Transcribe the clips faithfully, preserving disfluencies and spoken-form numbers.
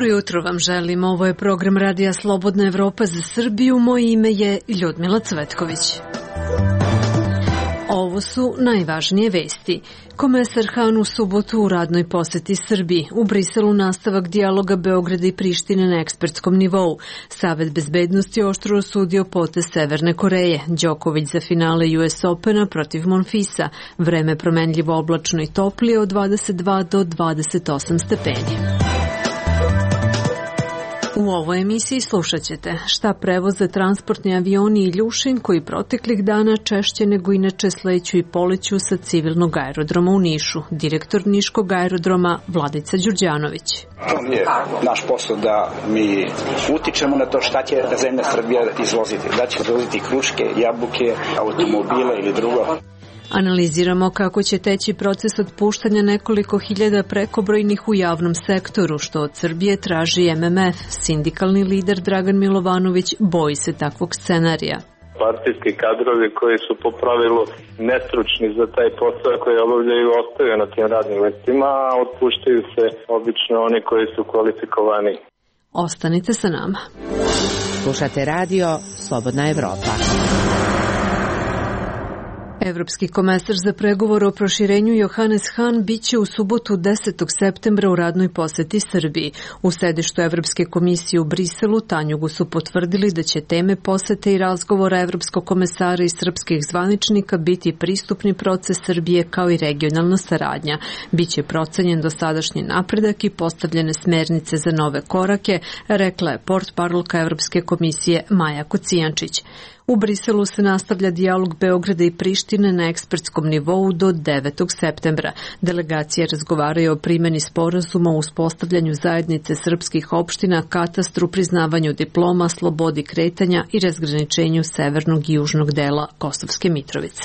Dobro jutro vam želim. Ovo je program Radija Slobodna Evropa za Srbiju. Moje ime je Ljudmila Cvetković. Ovo su najvažnije vesti. Komesar Han u subotu u radnoj poseti Srbiji. U Briselu nastavak dijaloga Beograda i Prištine na ekspertskom nivou. Savet bezbednosti oštro osudio potez Severne Koreje. Đoković za finale U S Opena protiv Monfisa. Vreme promenljivo oblačno i toplije od dvadeset dva do dvadeset osam stepeni. U ovoj emisiji slušat ćete šta prevoze transportni avioni i Ljušin koji proteklih dana češće nego inače sleću i poleću sa civilnog aerodroma u Nišu. Direktor Niškog aerodroma Vladica Đurđanović. To je naš posao da mi utičemo na to šta će zemlja Srbija izvoziti. Da će izvoziti kruške, jabuke, automobile ili drugo. Analiziramo kako će teći proces otpuštanja nekoliko hiljada prekobrojnih u javnom sektoru, što od Srbije traži M M F. Sindikalni lider Dragan Milovanović boji se takvog scenarija. Partijski kadrovi koji su po pravilu nestručni za taj posao koji obavljaju ostaju na tim radnim mestima, a otpuštaju se obično oni koji su kvalifikovani. Ostanite sa nama. Slušate radio Slobodna Evropa. Evropski komesar za pregovor o proširenju Johannes Hahn biće u subotu desetog septembra u radnoj poseti Srbiji. U sedištu Evropske komisije u Briselu Tanjugu su potvrdili da će teme posete i razgovora Evropskog komesara i srpskih zvaničnika biti pristupni proces Srbije kao i regionalna saradnja. Biće procenjen dosadašnji napredak i postavljene smernice za nove korake, rekla je portparolka Evropske komisije Maja Kocijančić. U Briselu se nastavlja dijalog Beograda i Prištine na ekspertskom nivou do devetog septembra. Delegacije razgovaraju o primjeni sporazuma o uspostavljanju zajednice srpskih opština, katastru, priznavanju diploma, slobodi kretanja i razgraničenju severnog i južnog dela Kosovske Mitrovice.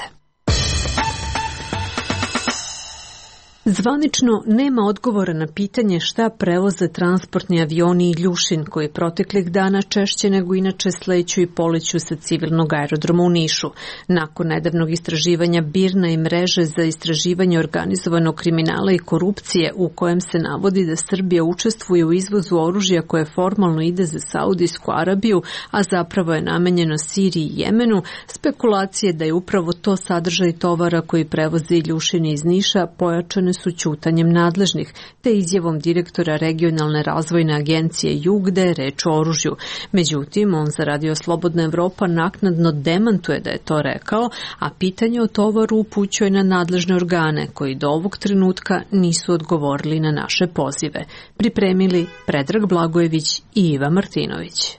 Zvanično nema odgovora na pitanje šta prevoze transportni avioni i Ljušin koji proteklih dana češće nego inače sleću i poleću sa civilnog aerodroma u Nišu. Nakon nedavnog istraživanja BIRNA i mreže za istraživanje organizovanog kriminala i korupcije u kojem se navodi da Srbija učestvuje u izvozu oružja koje formalno ide za Saudijsku Arabiju, a zapravo je namenjeno Siriji i Jemenu, spekulacije da je upravo to sadržaj tovara koji prevoze i Ljušin iz Niša pojačane su ćutanjem nadležnih, te izjavom direktora regionalne razvojne agencije Jug da je reč o oružju. Međutim, on za Radio Slobodna Evropa naknadno demantuje da je to rekao, a pitanje o tovaru upućuje na nadležne organe koji do ovog trenutka nisu odgovorili na naše pozive. Pripremili Predrag Blagojević i Iva Martinović.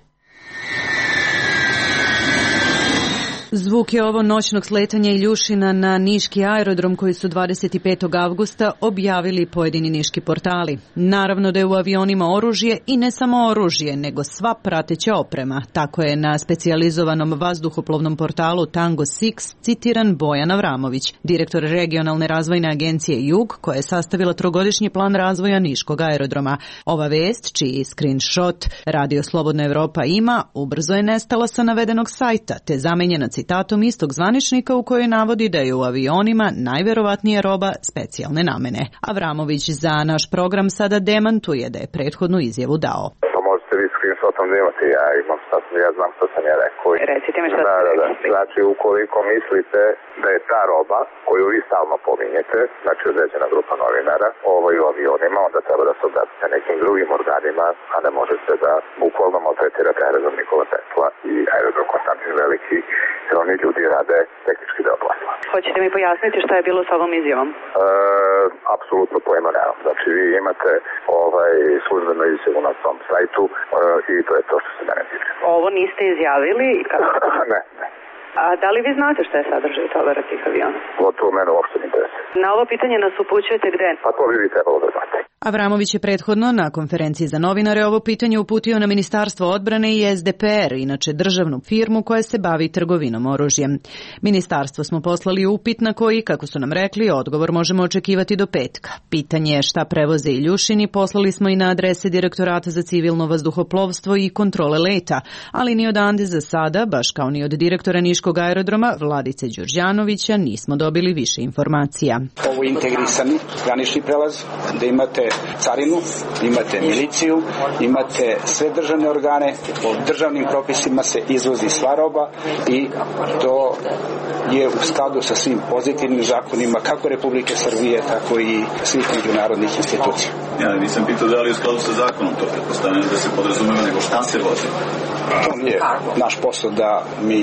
Zvuk je ovo noćnog sletanja Iljušina na niški aerodrom koji su dvadeset petog avgusta objavili pojedini niški portali. Naravno da je u avionima oružje i ne samo oružje, nego sva prateća oprema. Tako je na specijalizovanom vazduhoplovnom portalu Tango Six citiran Bojan Avramović, direktor regionalne razvojne agencije Jug, koja je sastavila trogodišnji plan razvoja niškog aerodroma. Ova vest, čiji screenshot Radio Slobodna Evropa ima, ubrzo je nestala sa navedenog sajta, te zamenjena citatom istog zvaničnika u kojoj navodi da je u avionima najverovatnije roba specijalne namene. Avramović za naš program sada demantuje da je prethodnu izjavu dao. Pa možete vi screenshotom da imate, ja imam šta sam, ja znam što sam ja rekao. Recite mi šta da, ste da, da. rekli. Znači, ukoliko mislite da je ta roba koju vi stalno pominjete, znači određena grupa novinara, ovaj u avionima, onda treba da se obratite nekim drugim organima, a ne možete da bukvalno maltretirate aerodrom Nikola Tesla i aerodrom Konstantin Veliki, jer oni ljudi rade tehnički deo posla. Hoćete mi pojasniti šta je bilo s ovom izjavom? E, apsolutno pojma nemam. Znači, vi imate ovaj službenu izjavu na svom sajtu e, i to je to što se mene tiče. Ovo niste izjavili? ne, ne. A da li vi znate šta je sadržaj tovara tih aviona? O to mene uopšte ne interesuje. Na ovo pitanje nas upućujete gde? Pa to bi vi trebalo da znate. Avramović je prethodno na konferenciji za novinare ovo pitanje uputio na Ministarstvo odbrane i S D P R, inače državnu firmu koja se bavi trgovinom oružjem. Ministarstvo smo poslali upit na koji, kako su nam rekli, odgovor možemo očekivati do petka. Pitanje je šta prevoze Iljušini poslali smo i na adrese Direktorata za civilno vazduhoplovstvo i kontrole leta, ali ni odande za sada, baš kao ni od direktora Niškog aerodroma Vladice Đurđanovića, nismo dobili više informacija. Ovo je integrisani granični prelaz, da imate carinu, imate miliciju, imate sve državne organe, po državnim propisima se izvozi sva roba i to je u skladu sa svim pozitivnim zakonima kako Republike Srbije, tako i svih međunarodnih institucija. Ja nisam pitao da li je u skladu sa zakonom, to pretpostavljam da se podrazumeva, nego šta se vozi. To je naš posao da mi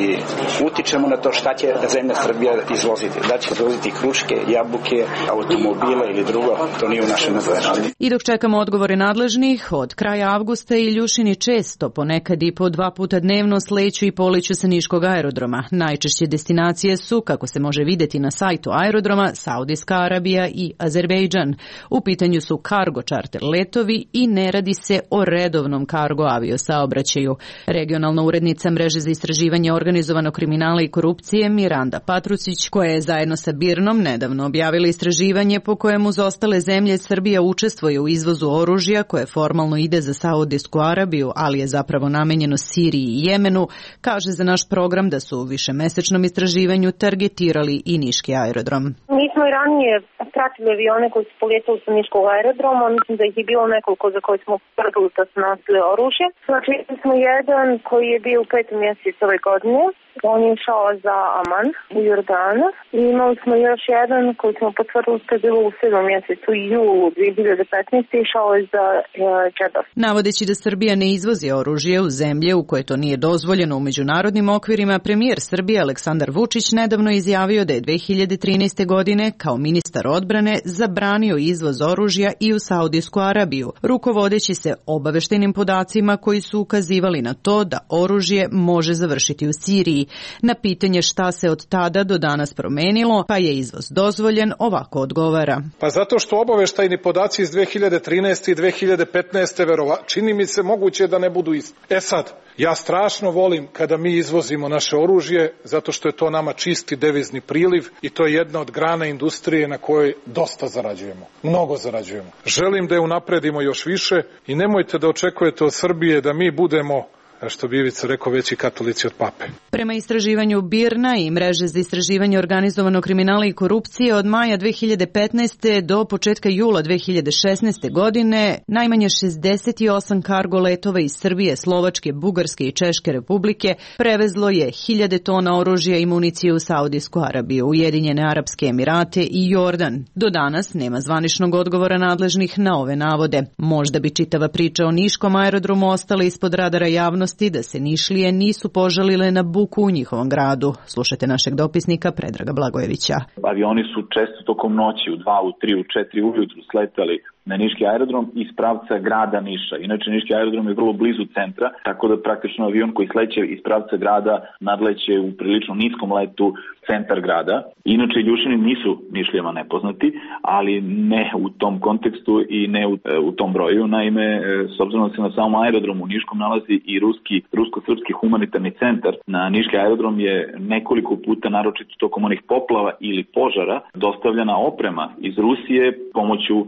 utičemo na to šta će zemlja Srbija izvoziti. Da će izvoziti kruške, jabuke, automobile ili drugo, to nije u našem nadležnosti. I dok čekamo odgovore nadležnih, od kraja avgusta Iljušini često, ponekad i po dva puta dnevno, sleću i poliću sa niškog aerodroma. Najčešće destinacije su, kako se može vidjeti na sajtu aerodroma, Saudijska Arabija i Azerbejdžan. U pitanju su kargo čarter letovi i ne radi se o redovnom kargo aviosaobraćaju. Regionalna urednica mreže za istraživanje organizovanog kriminala i korupcije Miranda Patrucić, koja je zajedno sa Birnom nedavno objavila istraživanje po kojemu uz ostale zemlje Srbija učestvuje u izvozu oružja koje formalno ide za Saudijsku Arabiju, ali je zapravo namenjeno Siriji i Jemenu, kaže za naš program da su u višemesečnom istraživanju targetirali i niški aerodrom. Mi smo i ranije pratili avione koji su polijetali sa niškog aerodroma, mislim da ih je bilo nekoliko za koje smo tvrdili da su nosili oružje. Znači smo jedan koji je bio u petom mjesecu ove godine, on je išao za Aman u Jordanu i imali smo još jedan koji smo potvrdili da je bilo u sedmom mjesecu u julu dvije hiljade petnaeste. išao je za Džedah. Navodeći da Srbija ne izvozi oružje u zemlje u koje to nije dozvoljeno u međunarodnim okvirima, premijer Srbije Aleksandar Vučić nedavno izjavio da je dve hiljade trinaeste. godine kao ministar odbrane zabranio izvoz oružja i u Saudijsku Arabiju, rukovodeći se obaveštajnim podacima koji su ukazivali na to da oružje može završiti u Siriji. Na pitanje šta se od tada do danas promenilo, pa je izvoz dozvoljen, ovako odgovara. Pa zato što obaveštajni podaci iz dve hiljade trinaeste. i dve hiljade petnaeste. verova, čini mi se moguće da ne budu isti. E sad, ja strašno volim kada mi izvozimo naše oružje, zato što je to nama čisti devizni priliv i to je jedna od grana industrije na kojoj dosta zarađujemo. Mnogo zarađujemo. Želim da je unapredimo još više i nemojte da očekujete od Srbije da mi budemo, što bi Ivica rekao, veći katolici od pape. Prema istraživanju Birna i mreže za istraživanje organizovanog kriminala i korupcije od maja dve hiljade petnaeste. do početka jula dve hiljade šesnaeste. godine najmanje šezdeset osam kargo letova iz Srbije, Slovačke, Bugarske i Češke republike prevezlo je hiljade tona oružja i municije u Saudijsku Arabiju, Ujedinjene Arapske Emirate i Jordan. Do danas nema zvaničnog odgovora nadležnih na ove navode. Možda bi čitava priča o niškom aerodromu ostala ispod radara javnosti da se Nišlije nisu požalile na buku u njihovom gradu. Slušajte našeg dopisnika Predraga Blagojevića. Avioni su često tokom noći u dva, u tri, u četiri ujutru sletali na niški aerodrom iz pravca grada Niša. Inače, niški aerodrom je vrlo blizu centra, tako da praktično avion koji sleće iz pravca grada nadleće u prilično niskom letu centar grada. Inače, Iljušini nisu Nišlijama nepoznati, ali ne u tom kontekstu i ne u, u tom broju. Naime, s obzirom da se na samom aerodromu u Niškom nalazi i ruski, rusko-srpski humanitarni centar, na niški aerodrom je nekoliko puta, naročito tokom onih poplava ili požara, dostavljena oprema iz Rusije pomoću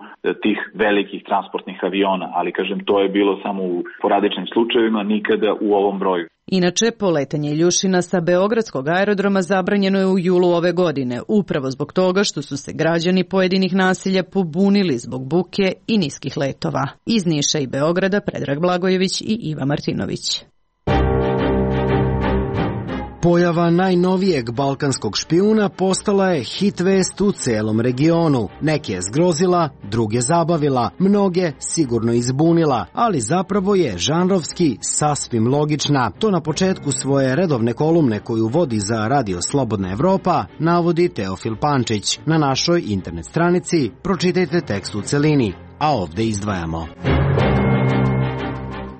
tih velikih transportnih aviona, ali kažem, to je bilo samo u poradičnim slučajevima, nikada u ovom broju. Inače, poletanje Iljušina sa Beogradskog aerodroma zabranjeno je u julu ove godine, upravo zbog toga što su se građani pojedinih naselja pobunili zbog buke i niskih letova. Iz Niša i Beograda Predrag Blagojević i Iva Martinović. Pojava najnovijeg balkanskog špijuna postala je hit vest u celom regionu. Neke je zgrozila, druge zabavila, mnoge sigurno izbunila, ali zapravo je žanrovski sasvim logična. To na početku svoje redovne kolumne koju vodi za Radio Slobodna Evropa navodi Teofil Pančić. Na našoj internet stranici pročitajte tekst u celini, a ovde izdvajamo.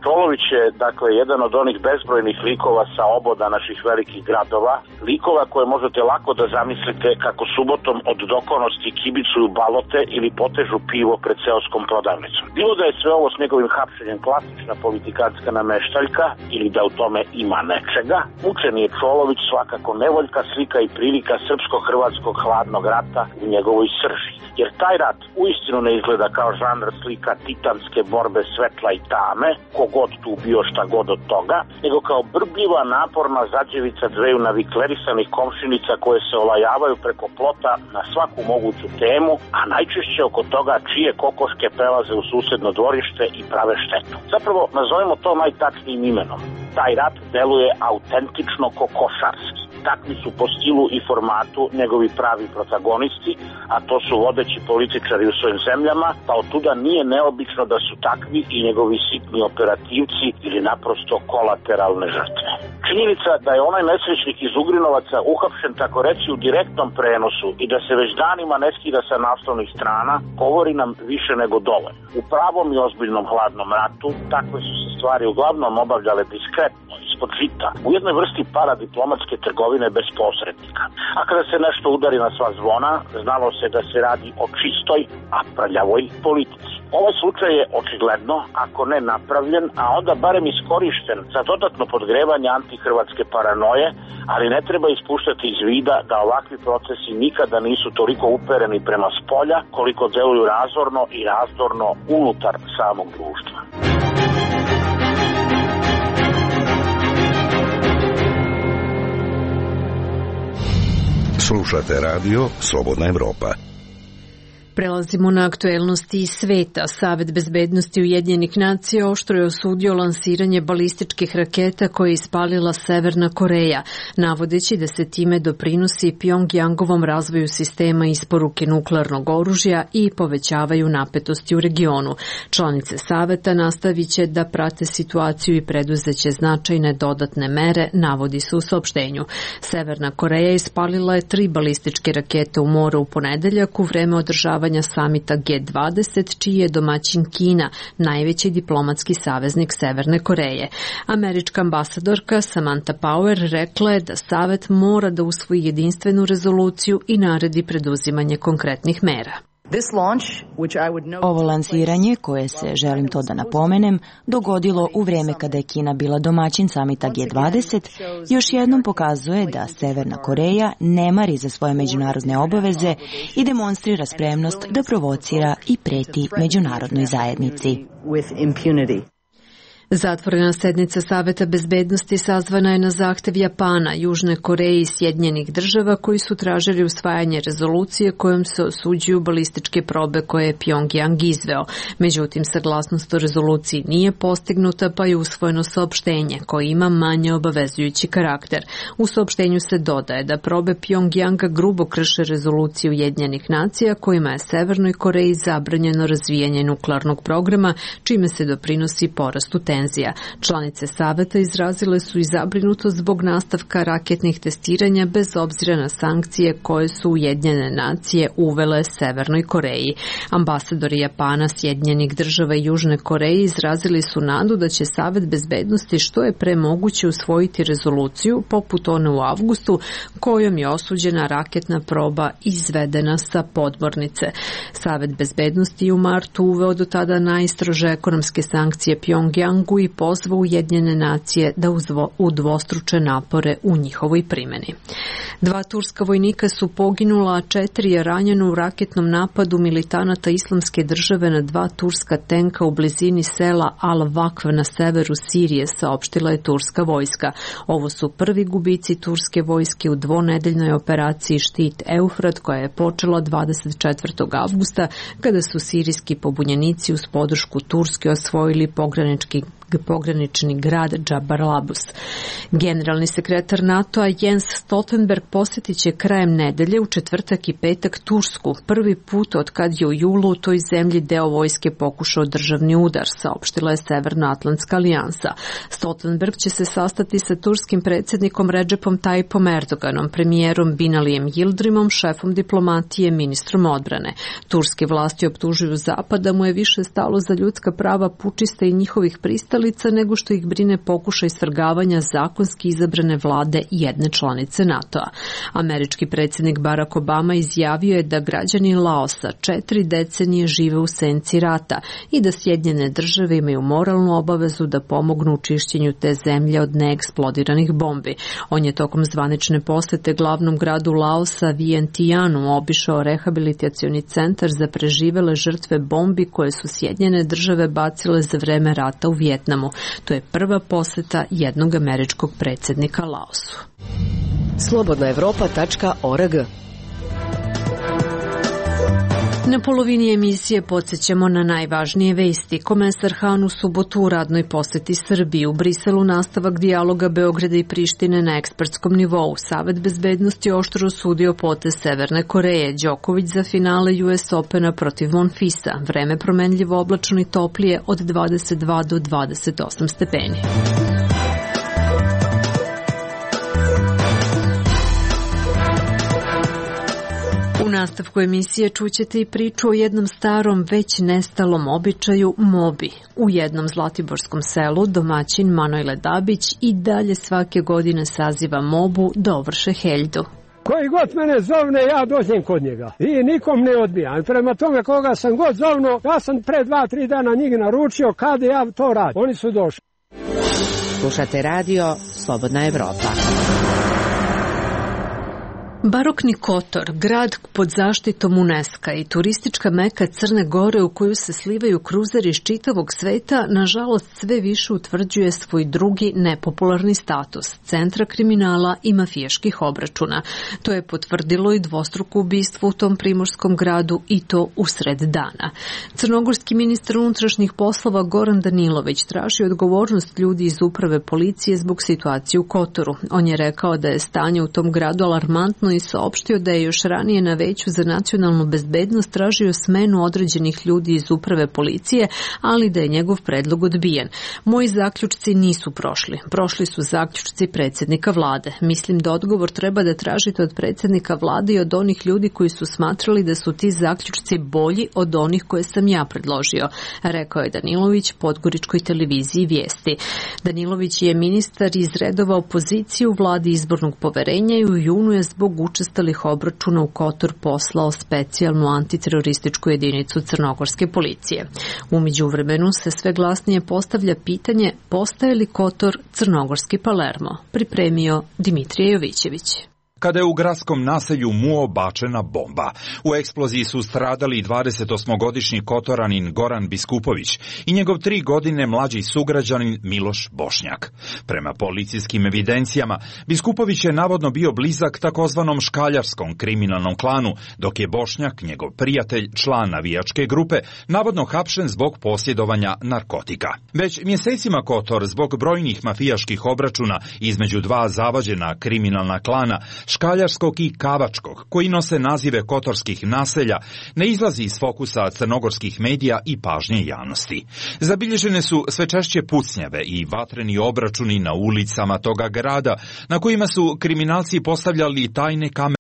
Čolović je, dakle, jedan od onih bezbrojnih likova sa oboda naših velikih gradova, likova koje možete lako da zamislite kako subotom od dokonosti kibicuju balote ili potežu pivo pred seoskom prodavnicom. Bilo da je sve ovo s njegovim hapšenjem klasična politikantska nameštaljka ili da u tome ima nečega, mučeni je Čolović svakako nevoljka slika i prilika srpsko-hrvatskog hladnog rata u njegovoj srži. jer taj rat uistinu ne izgleda kao žanr slika titanske borbe svetla i tame, kogod tu bio šta god od toga, nego kao brbljiva, naporna zađevica dveju naviklerisanih komšinica koje se olajavaju preko plota na svaku moguću temu, a najčešće oko toga čije kokoške prelaze u susedno dvorište i prave štetu. Zapravo, nazovemo to najtačnijim imenom. Taj rat deluje autentično kokošarski. Takvi su po stilu i formatu njegovi pravi protagonisti, a to su vodeći političari u svojim zemljama, pa od tuda nije neobično da su takvi i njegovi sitni operativci ili naprosto kolateralne žrtve. Činjenica da je onaj nesrećnik iz Ugrinovaca uhapšen tako reći u direktnom prenosu i da se već danima ne skida sa naslovnih strana, govori nam više nego dovoljno. U pravom i ozbiljnom hladnom ratu takve su se stvari uglavnom obavljale diskretno, ispod žita, u jednoj vrsti paradiplomatske trgovine bez posrednika. A kada se nešto udari na sva zvona, znalo se da se radi o čistoj, a prljavoj politici. Ovaj slučaj je očigledno, ako ne napravljen, a onda barem iskorišten za dodatno podgrevanje antihrvatske paranoje, ali ne treba ispuštati iz vida da ovakvi procesi nikada nisu toliko upereni prema spolja, koliko deluju razorno i razdorno unutar samog društva. Slušate radio Slobodna Evropa. Prelazimo na aktuelnosti iz sveta. Savet bezbednosti Ujedinjenih nacija oštro je osudio lansiranje balističkih raketa koje je ispalila Severna Koreja, navodeći da se time doprinosi Pjongjangovom razvoju sistema isporuke nuklearnog oružja i povećavaju napetosti u regionu. Članice Saveta nastavit će da prate situaciju i preduzeće značajne dodatne mere, navodi se u saopštenju. Severna Koreja ispalila je tri balističke rakete u moru u ponedeljak u vreme održavanja samita G dvadeset, čiji je domaćin Kina, najveći diplomatski saveznik Severne Koreje. Američka ambasadorka Samantha Power rekla je da Savet mora da usvoji jedinstvenu rezoluciju i naredi preduzimanje konkretnih mera. Ovo lansiranje, koje se, želim to da napomenem, dogodilo u vreme kada je Kina bila domaćin samita G dvadeset, još jednom pokazuje da Severna Koreja ne mari za svoje međunarodne obaveze i demonstrira spremnost da provocira i preti međunarodnoj zajednici. Zatvorena sednica Saveta bezbednosti sazvana je na zahtev Japana, Južne Koreje i Sjedinjenih država koji su tražili usvajanje rezolucije kojom se osuđuju balističke probe koje je Pjongjang izveo. Međutim, saglasnost o rezoluciji nije postignuta, pa je usvojeno saopštenje koje ima manje obavezujući karakter. U saopštenju se dodaje da probe Pjongjanga grubo krše rezoluciju Ujedinjenih nacija kojima je Severnoj Koreji zabranjeno razvijanje nuklearnog programa, čime se doprinosi porastu tenzija. Članice Saveta izrazile su i zabrinutost zbog nastavka raketnih testiranja bez obzira na sankcije koje su Ujedinjene nacije uvele Severnoj Koreji. Ambasadori Japana, Sjedinjenih država i Južne Koreje izrazili su nadu da će Savet bezbednosti što je pre moguće usvojiti rezoluciju poput one u avgustu kojom je osuđena raketna proba izvedena sa podmornice. Savet bezbednosti je u martu uveo do tada najstrože ekonomske sankcije Pjongjangu i pozvao Ujedinjene nacije da udvostruče napore u njihovoj primjeni. Dva turska vojnika su poginula, a četiri je ranjeno u raketnom napadu militanata Islamske države na dva turska tenka u blizini sela Al-Vakv na severu Sirije, saopštila je turska vojska. Ovo su prvi gubici turske vojske u dvonedeljnoj operaciji Štit Eufrat koja je počela dvadeset četvrtog avgusta kada su sirijski pobunjenici uz podršku Turske osvojili pogranički pogranični grad Džabar Labus. Generalni sekretar NATO-a Jens Stoltenberg posjetit će krajem nedelje u četvrtak i petak Tursku, prvi put od kad je u julu u toj zemlji deo vojske pokušao državni udar, saopštila je Severnoatlantska alijansa. Stoltenberg će se sastati sa turskim predsjednikom Redžepom Tayyipom Erdoganom, premijerom Binalijem Yildirimom, šefom diplomatije, ministrom odbrane. Turske vlasti optužuju Zapad da mu je više stalo za ljudska prava pučista i njihovih pristalica pristalica nego što ih brine pokušaj svrgavanja zakonski izabrane vlade jedne članice NATO-a. Američki predsjednik Barack Obama izjavio je da građani Laosa četiri decenije žive u senci rata i da Sjedinjene države imaju moralnu obavezu da pomognu u čišćenju te zemlje od neeksplodiranih bombi. On je tokom zvanične posete glavnom gradu Laosa Vientianu obišao rehabilitacioni centar za preživele žrtve bombi koje su Sjedinjene države bacile za vreme rata u Vijetnamu. To je prva poseta jednog američkog predsjednika Laosu. slobodna evropa tačka org. Na polovini emisije podsjećamo na najvažnije vesti. Komesar Han u subotu u radnoj poseti Srbiji. U Briselu nastavak dijaloga Beograda i Prištine na ekspertskom nivou. Savet bezbednosti oštro osudio potez Severne Koreje. Đoković za finale U S Opena protiv Monfisa. Vreme promenljivo, oblačno i toplije od dvadeset dva do dvadeset osam stepeni. U nastavku emisije čućete i priču o jednom starom, već nestalom običaju mobi. U jednom zlatiborskom selu domaćin Manojle Dabić i dalje svake godine saziva mobu da ovrše heljdu. Koji god mene zovne, ja dođem kod njega. I nikom ne odbijam. Prema tome koga sam god zovno, ja sam pre dva, tri dana njih naručio kada ja to radim. Oni su došli. Slušate radio Slobodna Evropa. Barokni Kotor, grad pod zaštitom UNESCO i turistička meka Crne Gore u koju se slivaju kruzeri iz čitavog sveta, nažalost sve više utvrđuje svoj drugi nepopularni status, centra kriminala i mafijaških obračuna. To je potvrdilo i dvostruko ubistvo u tom primorskom gradu i to usred dana. Crnogorski ministar unutrašnjih poslova Goran Danilović traži odgovornost ljudi iz uprave policije zbog situacije u Kotoru. On je rekao da je stanje u tom gradu alarmantno i saopštio da je još ranije na Veću za nacionalnu bezbednost tražio smenu određenih ljudi iz uprave policije, ali da je njegov predlog odbijen. Moji zaključci nisu prošli. Prošli su zaključci predsjednika vlade. Mislim da odgovor treba da tražite od predsjednika vlade i od onih ljudi koji su smatrali da su ti zaključci bolji od onih koje sam ja predložio, rekao je Danilović Podgoričkoj televiziji Vijesti. Danilović je ministar iz redova opozicije u vladi izbornog poverenja i u junu je zbog učestalih obračuna u Kotor poslao specijalnu antiterorističku jedinicu crnogorske policije. U međuvremenu se sve glasnije postavlja pitanje postaje li Kotor crnogorski Palermo, pripremio Dimitrije Jovićević. Kada je u gradskom naselju Muo bačena bomba. U eksploziji su stradali dvadesetosmogodišnji Kotoranin Goran Biskupović i njegov tri godine mlađi sugrađanin Miloš Bošnjak. Prema policijskim evidencijama, Biskupović je navodno bio blizak takozvanom škaljarskom kriminalnom klanu, dok je Bošnjak, njegov prijatelj, član navijačke grupe, navodno hapšen zbog posjedovanja narkotika. Već mjesecima Kotor, zbog brojnih mafijaških obračuna između dva zavađena kriminalna klana, škaljarskog i kavačkog, koji nose nazive kotorskih naselja, ne izlazi iz fokusa crnogorskih medija i pažnje javnosti. Zabilježene su sve češće pucnjave i vatreni obračuni na ulicama toga grada, na kojima su kriminalci postavljali tajne kamere,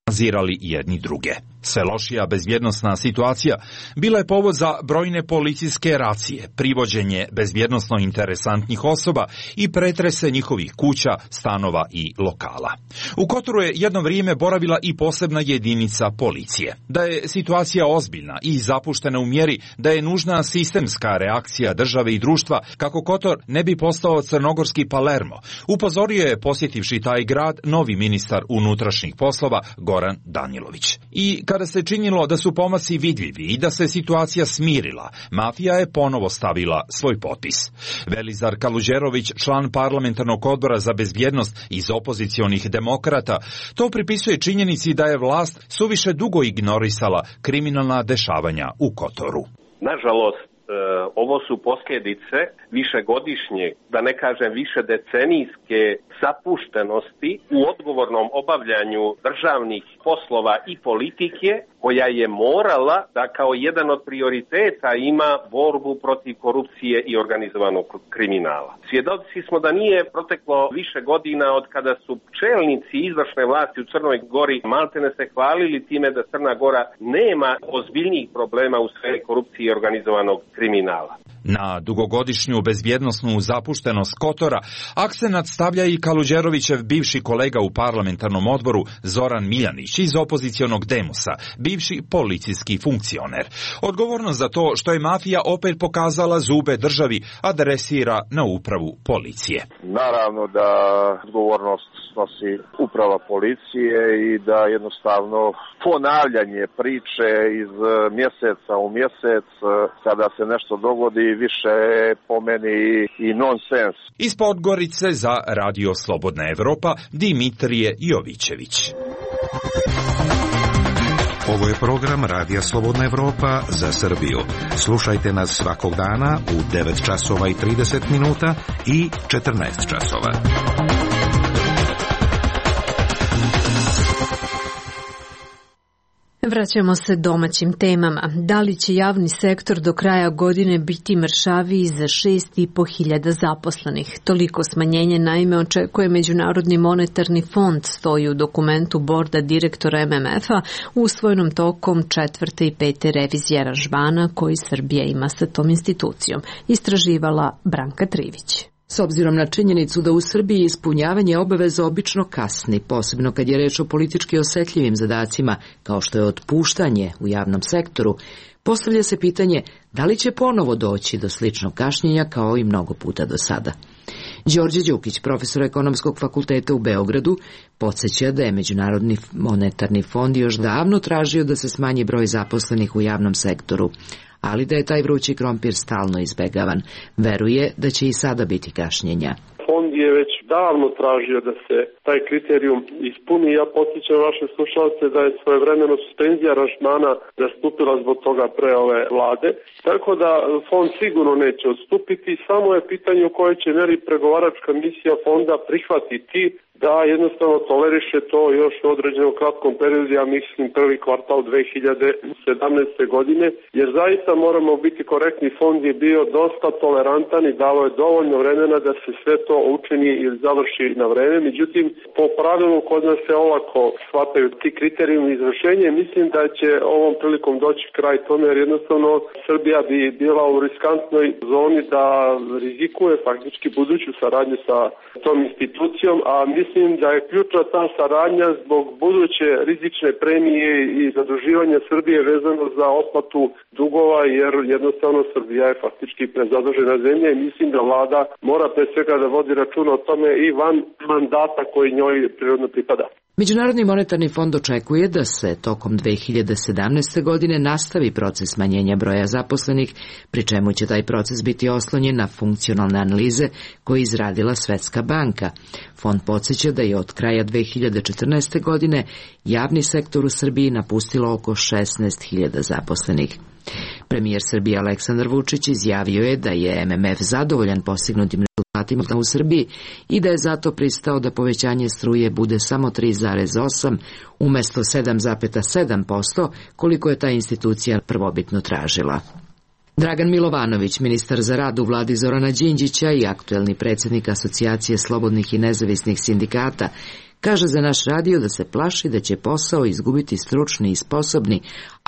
nazirali jedni druge. Sve lošija bezbjednosna situacija bila je povod za brojne policijske racije, privođenje bezbjednosno interesantnih osoba i pretrese njihovih kuća, stanova i lokala. U Kotoru je jedno vrijeme boravila i posebna jedinica policije. Da je situacija ozbiljna i zapuštena u mjeri da je nužna sistemska reakcija države i društva kako Kotor ne bi postao crnogorski Palermo, upozorio je posjetivši taj grad novi ministar unutrašnjih poslova Goran Danilović. I kada se činilo da su pomaci vidljivi i da se situacija smirila, mafija je ponovo stavila svoj potpis. Velizar Kaluđerović, član parlamentarnog odbora za bezbjednost iz opozicionih demokrata, to pripisuje činjenici da je vlast suviše dugo ignorisala kriminalna dešavanja u Kotoru. Nažalost, ovo su posljedice višegodišnje, da ne kažem više decenijske zapuštenosti u odgovornom obavljanju državnih poslova i politike, koja je morala da kao jedan od prioriteta ima borbu protiv korupcije i organizovanog kriminala. Svjedoci smo da nije proteklo više godina od kada su čelnici izvršne vlasti u Crnoj Gori maltene se hvalili time da Crna Gora nema ozbiljnijih problema u sferi korupcije i organizovanog kriminala. Na dugogodišnju bezbjednosnu zapuštenost Kotora akcenat stavlja i Kaluđerovićev bivši kolega u parlamentarnom odboru Zoran Miljanić iz opozicionog Demosa, bivši policijski funkcioner. Odgovornost za to što je mafija opet pokazala zube državi adresira na upravu policije. Naravno da odgovornost snosi uprava policije i da jednostavno ponavljanje priče iz mjeseca u mjesec kada se nešto dogodi više po meni i nonsens. Iz Podgorice za Radio Slobodna Evropa Dimitrije Jovićević. Ovo je program Radija Slobodna Evropa za Srbiju. Slušajte nas svakog dana u devet časova i trideset minuta i četrnaest časova. Vraćamo se domaćim temama. Da li će javni sektor do kraja godine biti mršaviji za šest i po hiljada zaposlenih? Toliko smanjenje naime očekuje Međunarodni monetarni fond, stoji u dokumentu borda direktora M M F-a usvojenom tokom četvrte i pete revizije aranžmana koji Srbija ima sa tom institucijom. Istraživala Branka Trivić. S obzirom na činjenicu da u Srbiji ispunjavanje obaveza obično kasni, posebno kad je reč o politički osetljivim zadacima, kao što je otpuštanje u javnom sektoru, postavlja se pitanje da li će ponovo doći do sličnog kašnjenja kao i mnogo puta do sada. Đorđe Đukić, profesor Ekonomskog fakulteta u Beogradu, podsjeća da je Međunarodni monetarni fond još davno tražio da se smanji broj zaposlenih u javnom sektoru, ali da je taj vrući krompir stalno izbegavan. Veruje da će i sada biti kašnjenja. Fond je već davno tražio da se taj kriterijum ispuni. Ja podsjećam vaše slušalce da je svojevremeno suspenzija aranžmana nastupila zbog toga pre ove vlade. Tako da fond sigurno neće odstupiti, samo je pitanje u kojoj će meri pregovaračka misija fonda prihvatiti da jednostavno toleriše to još u određenom kratkom periodu, ja mislim prvi kvartal dve hiljade sedamnaeste. godine, jer zaista moramo biti korektni, fond je bio dosta tolerantan i dao je dovoljno vremena da se sve to učini ili završi na vreme. Međutim, po pravilu kod nas se olako shvataju ti kriterijumi izvršenja. Mislim da će ovom prilikom doći kraj tome, jer jednostavno Srbija bi bila u riskantnoj zoni da rizikuje faktički buduću saradnju sa tom institucijom, a mislim Mislim da je ključna ta saradnja zbog buduće rizične premije i zaduživanja Srbije vezano za otplatu dugova, jer jednostavno Srbija je faktički prezadužena zemlja i mislim da vlada mora pre svega da vodi računa o tome i van mandata koji njoj prirodno pripada. Međunarodni monetarni fond očekuje da se tokom dve hiljade sedamnaeste. godine nastavi proces smanjenja broja zaposlenih, pri čemu će taj proces biti oslonjen na funkcionalne analize koje je izradila Svetska banka. Fond podsjeća da je od kraja dve hiljade četrnaeste. godine javni sektor u Srbiji napustilo oko šesnaest hiljada zaposlenih. Premijer Srbije Aleksandar Vučić izjavio je da je M M F zadovoljan postignutim rezultatima u Srbiji i da je zato pristao da povećanje struje bude samo tri zarez osam umjesto sedam zarez sedam posto koliko je ta institucija prvobitno tražila. Dragan Milovanović, ministar za rad u vladi Zorana Đinđića i aktuelni predsjednik Asocijacije slobodnih i nezavisnih sindikata, kaže za naš radio da se plaši da će posao izgubiti stručni i sposobni,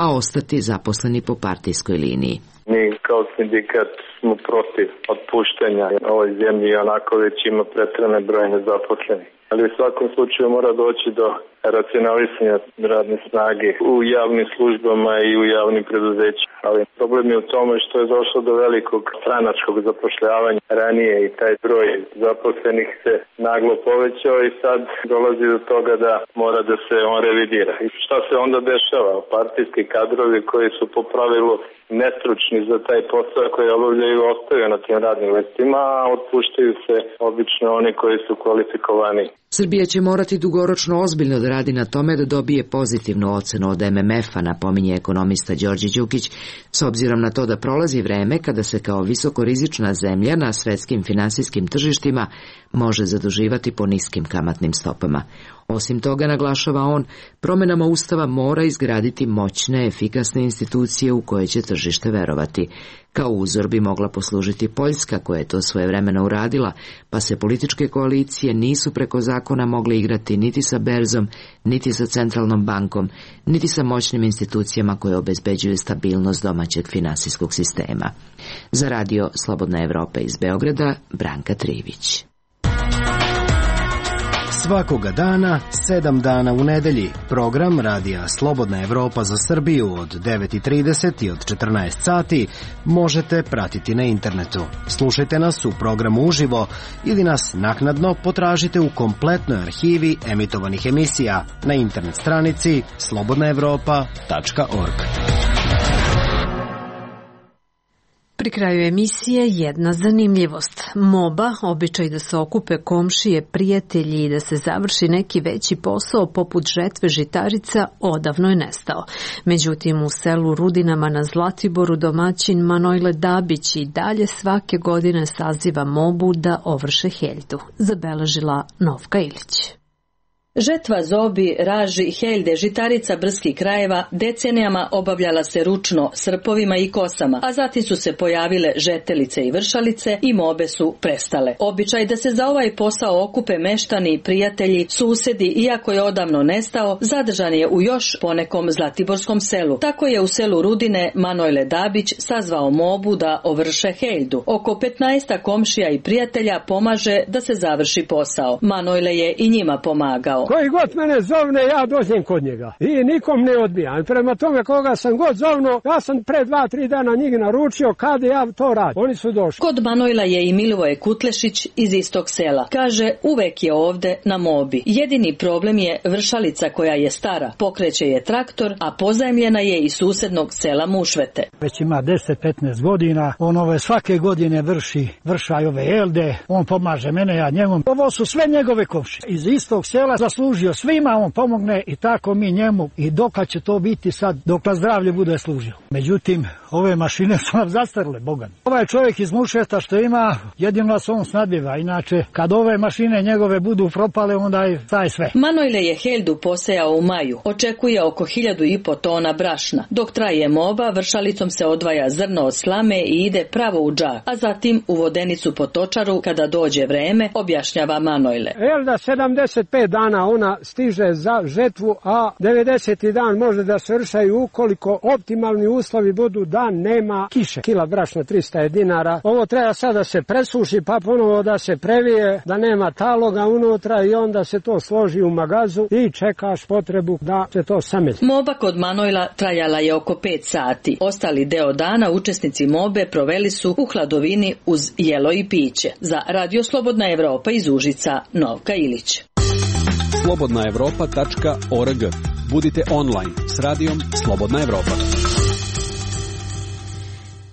a ostati zaposleni po partijskoj liniji. Mi kao sindikat smo protiv otpuštanja. Ovoj zemlji onako već ima pretrane broje nezaposlenih. Ali u svakom slučaju mora doći do racionalisanja radne snage u javnim službama i u javnim preduzećima. Ali problem je u tome što je došlo do velikog stranačkog zapošljavanja ranije i taj broj zaposlenih se naglo povećao i sad dolazi do toga da mora da se on revidira. I šta se onda dešava? Partijski kadrovi koji su po pravilu nestručni za taj posao koji obavljaju ostaju na tim radnim mestima, a otpuštaju se obično oni koji su kvalifikovani. Srbija će morati dugoročno ozbiljno da radi na tome da dobije pozitivnu ocenu od M M F-a, napominje ekonomista Đorđe Đukić, s obzirom na to da prolazi vreme kada se kao visokorizična zemlja na svetskim finansijskim tržištima može zaduživati po niskim kamatnim stopama. Osim toga, naglašava on, promjenama Ustava mora izgraditi moćne, efikasne institucije u koje će tržište tržište verovati. Kao uzor bi mogla poslužiti Poljska, koja je to svojevremeno uradila, pa se političke koalicije nisu preko zakona mogle igrati niti sa berzom, niti sa centralnom bankom, niti sa moćnim institucijama koje obezbeđuju stabilnost domaćeg finansijskog sistema. Za radio Slobodna Evropa iz Beograda, Branka Trivić. Svakoga dana, sedam dana u nedelji, program radija Slobodna Evropa za Srbiju od devet i trideset i od četrnaest sati možete pratiti na internetu. Slušajte nas u programu uživo ili nas naknadno potražite u kompletnoj arhivi emitovanih emisija na internet stranici slobodna evropa tačka org. Pri kraju emisije jedna zanimljivost. Moba, običaj da se okupe komšije, prijatelji i da se završi neki veći posao poput žetve žitarica, odavno je nestao. Međutim, u selu Rudinama na Zlatiboru domaćin Manojle Dabić i dalje svake godine saziva mobu da ovrše heljdu, zabeležila Novka Ilić. Žetva zobi, raži, heljde, žitarica brdskih krajeva decenijama obavljala se ručno srpovima i kosama, a zatim su se pojavile žetelice i vršalice i mobe su prestale. Običaj da se za ovaj posao okupe meštani, prijatelji, susedi, iako je odavno nestao, zadržan je u još ponekom zlatiborskom selu. Tako je u selu Rudine Manojle Dabić sazvao mobu da ovrše heljdu. Oko petnaest komšija i prijatelja pomaže da se završi posao. Manojle je i njima pomagao. Koji god mene zovne, ja dođem kod njega. I nikom ne odbijam. Prema tome koga sam god zovno, ja sam pre dva, tri dana njih naručio kad ja to radim. Oni su došli. Kod Manojla je i Milivoje Kutlešić iz istog sela. Kaže, uvek je ovde na mobi. Jedini problem je vršalica koja je stara. Pokreće je traktor, a pozajmljena je iz susednog sela Mušvete. Već ima deset petnaest godina. On ove svake godine vrši, vršaj ove elde. On pomaže mene, ja njemu. Ovo su sve njegove komšije. Iz istog sela zaslužio svima, on pomogne i tako mi njemu. I dokad će to biti sad, dok zdravlje bude služio. Međutim, ove mašine su nam zastarle, Bogan. Ovaj čovjek iz Mušveta što ima, jedino se on snadbiva. Inače, kad ove mašine njegove budu propale, onda je taj sve. Manojle je heljdu posejao u maju. Očekuje oko hiljadu i po tona brašna. Dok traje moba, vršalicom se odvaja zrno od slame i ide pravo u džak, a zatim u vodenicu po točaru kada dođe vreme, objašnjava Manojle. Elda sedamdeset pet dana ona stiže za žetvu, a devedeseti dan može da se vršaju ukoliko optimalni uslovi budu da nema kiše. Kila brašna trista dinara. Ovo treba sad da se presuši, pa ponovo da se previje, da nema taloga unutra i onda se to složi u magazu i čekaš potrebu da se to samelji. Moba kod Manojla trajala je oko pet sati. Ostali deo dana učesnici mobe proveli su u hladovini uz jelo i piće. Za Radio Slobodna Evropa iz Užica, Novka Ilić. slobodna evropa tačka org. Budite online s radijom Slobodna Evropa.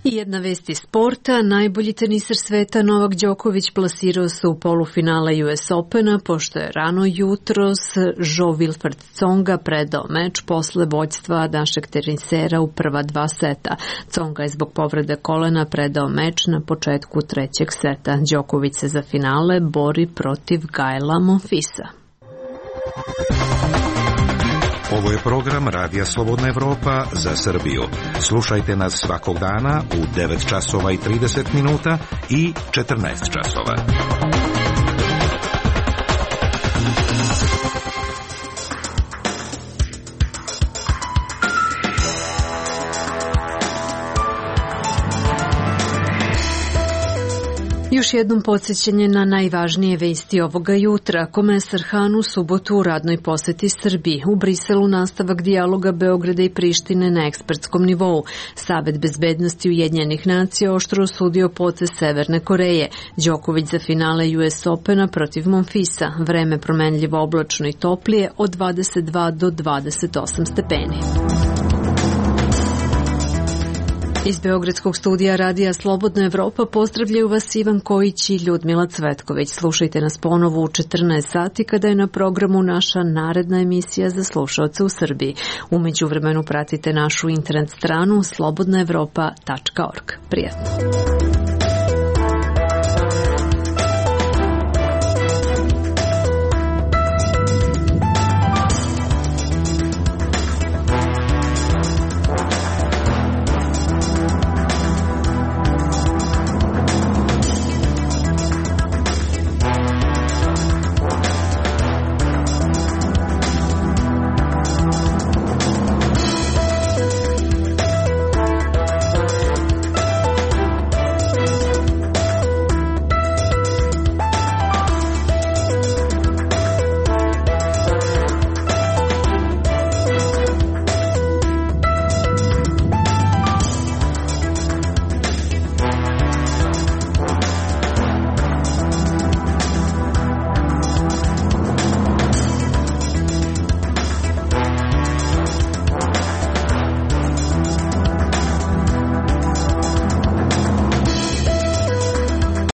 I jedna vest iz sporta. Najbolji teniser sveta Novak Đoković plasirao se u polufinale U S Opena, pošto je rano jutros Jo-Wilfried Tsonga predao meč posle vođstva našeg tenisera u prva dva seta. Tsonga je zbog povrede kolena predao meč na početku trećeg seta. Đoković se za finale bori protiv Gaela Monfisa. Ovo je program Radija Slobodna Evropa za Srbiju. Slušajte nas svakog dana u devet časova i trideset minuta i četrnaest časova. Još jednom podsjećanje na najvažnije vesti ovoga jutra. Komesar Han u subotu u radnoj poseti Srbiji. U Briselu nastavak dijaloga Beograda i Prištine na ekspertskom nivou. Savet bezbednosti Ujedinjenih nacija oštro osudio potez Severne Koreje. Đoković za finale U S Opena protiv Monfisa. Vreme promenljivo oblačno i toplije od dvadeset dva do dvadeset osam stepeni. Iz Beogradskog studija Radija Slobodna Evropa pozdravljaju vas Ivan Kojić i Ljudmila Cvetković. Slušajte nas ponovo u četrnaest sati kada je na programu naša naredna emisija za slušaoce u Srbiji. U međuvremenu pratite našu internet stranu slobodna evropa tačka org. Prijatno.